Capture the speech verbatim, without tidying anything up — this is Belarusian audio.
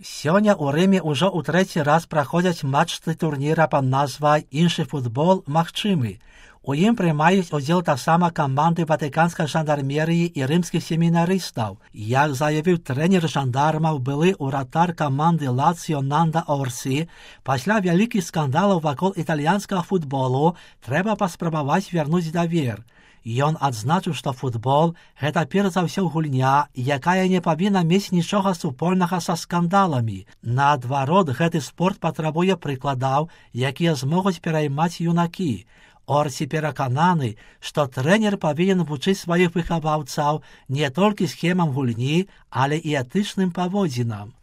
Сёння ў Рыме ўжо ў трэці раз праходзяць матчы турніра пад назвай «Іншы футбол магчымы». У ім прымаюць удзел таксама каманды ватыканскай жандармерыі і рымскіх семінарыстаў. Як заявіў трэнер жандармаў, былы ўратар каманды Лацыё Нанда Орсі, пасля вялікіх скандалаў вакол італьянскага футболу трэба паспрабаваць вярнуць давер. Ён адзначыў, што футбол – гэта перш за ўсё гульня, якая не павінна мець нічога супольнага са скандаламі. Наадварот, гэты спорт патрабуе прыкладаў, якія змогуць пераймаць юнакі. Орсі перакананы, што трэнер павінен вучыць сваіх выхаваўцаў не толькі схемам гульні, але і этычным паводзінам.